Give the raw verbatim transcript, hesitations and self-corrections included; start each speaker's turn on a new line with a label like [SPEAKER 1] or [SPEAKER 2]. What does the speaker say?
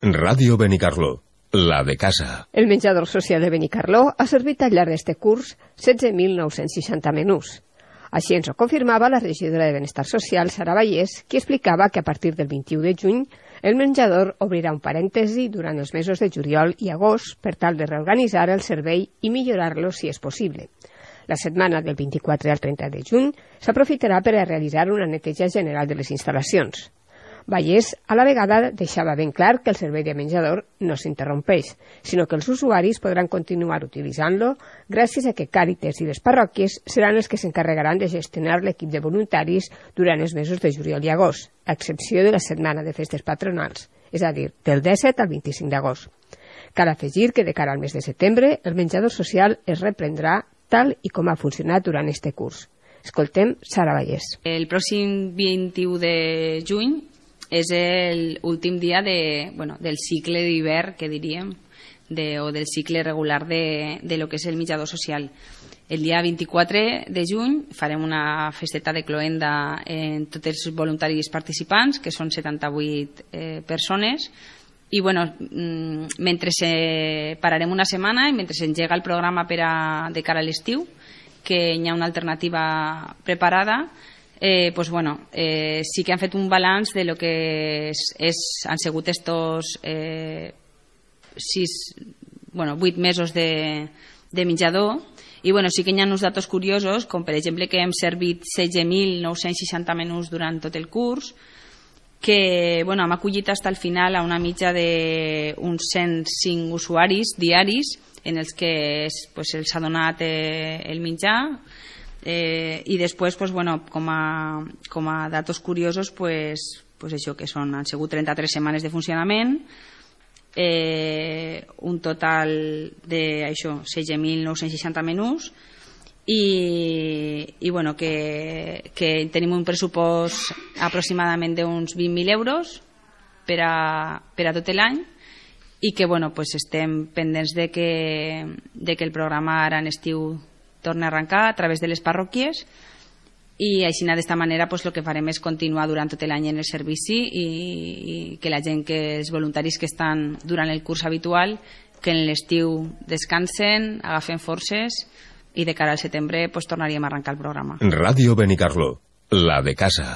[SPEAKER 1] Ràdio Benicarló, la de casa.
[SPEAKER 2] El menjador social de Benicarló ha servit al llarg d'este curs setze mil nou-cents seixanta menús. Així ens ho confirmava la regidora de Benestar Social, Sara Vallès, qui explicava que a partir del vint-i-u de juny el menjador obrirà un parèntesi durant els mesos de juliol i agost per tal de reorganitzar el servei i millorar-lo si és possible. La setmana del vint-i-quatre al trenta de juny s'aprofitarà per a realitzar una neteja general de les instal·lacions. Vallès a la vegada deixava ben clar que el servei de menjador no s'interrompeix, sinó que els usuaris podran continuar utilitzant-lo gràcies a que Càritas i les parròquies seran els que s'encarregaran de gestionar l'equip de voluntaris durant els mesos de juliol i agost, a excepció de la setmana de festes patronals, és a dir, del disset al vint-i-cinc d'agost. Cal afegir que de cara al mes de setembre el menjador social es reprendrà tal i com ha funcionat durant este curs. Escoltem Sara Vallès.
[SPEAKER 3] El pròxim vint-i-u de juny és l'últim dia de, bueno, del cicle d'hivern, que diríem, de, o del cicle regular de, de lo que és el menjador social. El dia vint-i-quatre de juny farem una festeta de cloenda en tots els voluntaris participants, que són setanta-vuit eh, persones, i bueno, mentre se pararem una setmana i mentre s'engega el programa per a, de cara a l'estiu, que hi ha una alternativa preparada, Eh, pues bueno, eh, sí que han fet un balanç de lo que és, és, han sigut estos eh, sis, bueno, vuit mesos de, de menjador, i bueno, sí que hi ha uns datos curiosos, com per exemple que hem servit setze mil nou-cents seixanta menús durant tot el curs, que bueno, hem acollit fins al final a una mitja d'uns cent cinc usuaris diaris en els que pues, els ha donat eh, el menjar. Eh, i després pues, bueno, com, a, com a datos curiosos pues, pues això, que són, han sigut trenta-tres setmanes de funcionament, eh, un total de això, setze mil nou-cents seixanta menús, i, i bueno, que, que tenim un pressupost aproximadament d'uns vint mil euros per a, per a tot l'any, i que bueno, pues, estem pendents de que, de que el programa ara en estiu torna a arrencar a través de les parròquies, i així d'esta manera pues, el que farem és continuar durant tot l'any en el servici, i, i que la gent, que els voluntaris que estan durant el curs habitual, que en l'estiu descansen, agafen forces, i de cara al setembre pues, tornaríem a arrencar el programa.
[SPEAKER 1] Ràdio Benicarló, la de casa.